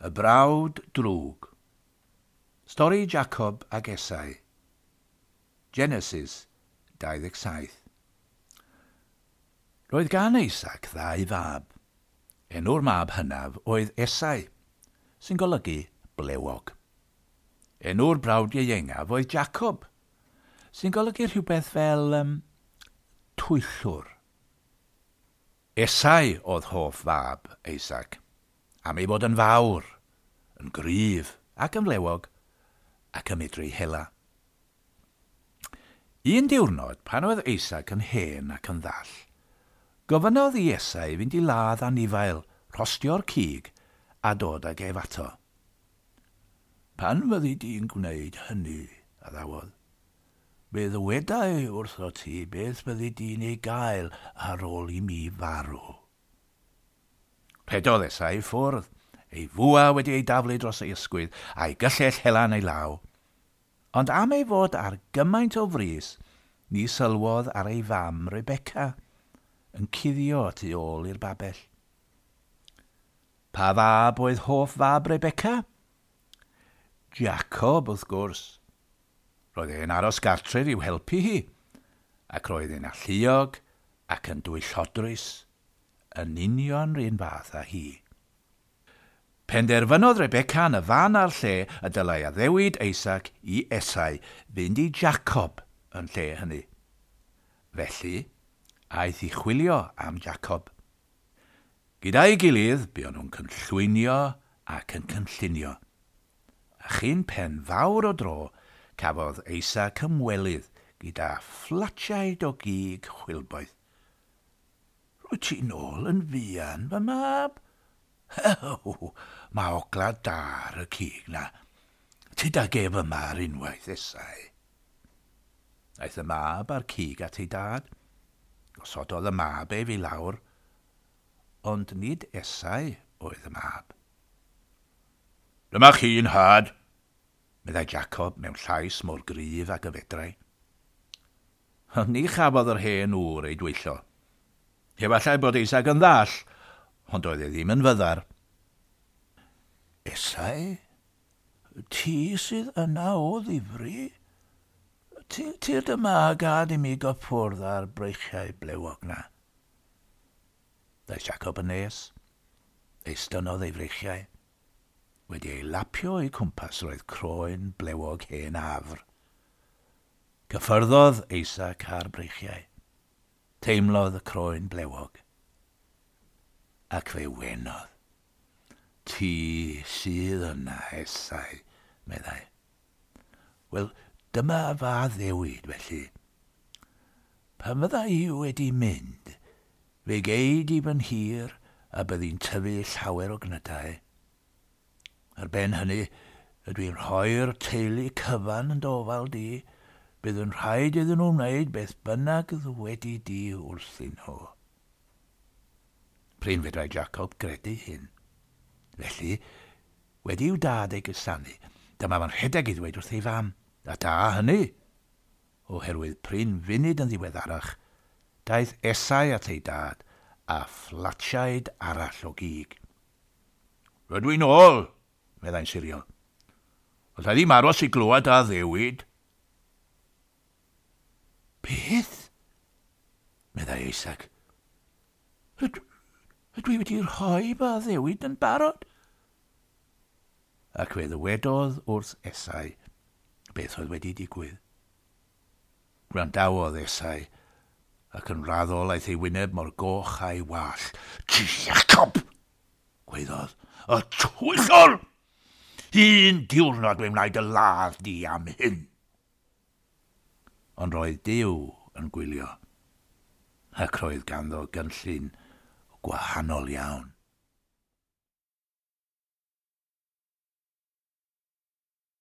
Y Brawd Drwg. Stori Jacob ag Esau. Genesis 27. Roedd gan Isaac ddau fab. Enw'r mab hynaf oedd Esau, sy'n golygu blewog. Enw'r brawd ieuengaf oedd Jacob, sy'n golygu rhywbeth fel twyllwr. Esau oedd hoff fab Isaac, am ei fod yn fawr, yn gryf ac yn flewog, ac yn medru hela. Un diwrnod, pan oedd Isaac yn hen ac yn ddall, gofynnodd i Esau fynd i ladd anifail, rhostio'r cig a dod ag ef ato. Pan fyddi di'n gwneud hynny, addawodd, fe ddywedai wrtho ti beth fyddi di'n ei gael ar ôl i mi farw. Rhedodd Esau i ffwrdd, ei fwa wedi ei daflu dros ei ysgwydd a'i gyllell hela yn ei law. Ond am ei fod ar gymaint o frys, ni sylwodd ar ei fam Rebecca, yn cuddio tu ôl i'r babell. Pa fab oedd hoff fab Rebecca? Jacob, wrth gwrs. Roedd e'n aros gartref i'w helpu hi, ac roedd e'n alluog ac yn dwyllodrus, yn union r'un fath â hi. Penderfynodd Rebecca yn y fan a'r lle y dylai addewid Isaac i Esau fynd i Jacob yn lle hynny. Felly, aeth i chwilio am Jacob. Gyda'i gilydd, buon nhw'n cynllwynio ac yn cynllunio. A chyn pen fawr o dro, cafodd Isaac ymwelydd gyda phlatiaid o gig chwilboeth. Rwyt ti'n ôl yn fuan, fy mab? Mae ogla da ar y cig na. Tyd ag ef yma ar unwaith, Esau. Aeth y mab a'r cig at ei dad. Gosododd y mab ef i lawr, ond nid Esau oedd y mab. Dyma chi'n nhad, meddai Jacob mewn llais mor gryf ag y fedrai. Ond ni chafodd yr hen ŵr ei dwyllo. Efallai bod Isaac yn ddall, ond oedd e ddim yn fyddar. Esau, ti sydd yna o ddifri? Tyrd yma a gad i mi gyffwrdd ar breichiau blewog na. Daeth Jacob yn nes, estynodd ei freichiau. Wedi ei lapio o'i cwmpas roedd croen blewog hen afr. Cyffyrddodd Isaac ar breichiau. Teimlodd y croen blewog, ac fe wenodd. Ti sydd yna, Esau, meddai. Wel, dyma fy addewid, felly. Pan fydda i wedi mynd, fe gei di fy nhir a byddi'n tyfu llawer o gnydau. Ar ben hynny, ydw i'n rhoi'r teulu cyfan yn dofal di, bydd yn rhaid iddyn nhw wneud beth bynnag ddywedi di wrthyn nhw. Prin fedrai Jacob gredu hyn. Felly, wedi i'w dad ei gusanu, dyma fo'n rhedeg i ddweud wrth ei fam, a da hynny, oherwydd prin funud yn ddiweddarach, daeth Esau at ei dad a phlatiaid arall o gig. Rydw i'n ôl, meddai'n siriol. Alla i ddim aros i glywed addewid. Beth? Meddai Isaac. Ydw i wedi rhoi fy addewid yn barod? Ac fe ddywedodd wrth Esau beth oedd wedi digwydd. Gwrandawodd Esau, ac yn raddol aeth ei wyneb mor goch a'i wallt. Jacob! Gwaeddodd, y twyllwr! Un diwrnod fe wna i dy ladd di am hyn. Ond roedd Duw yn gwylio, ac roedd ganddo gynllun gwahanol iawn.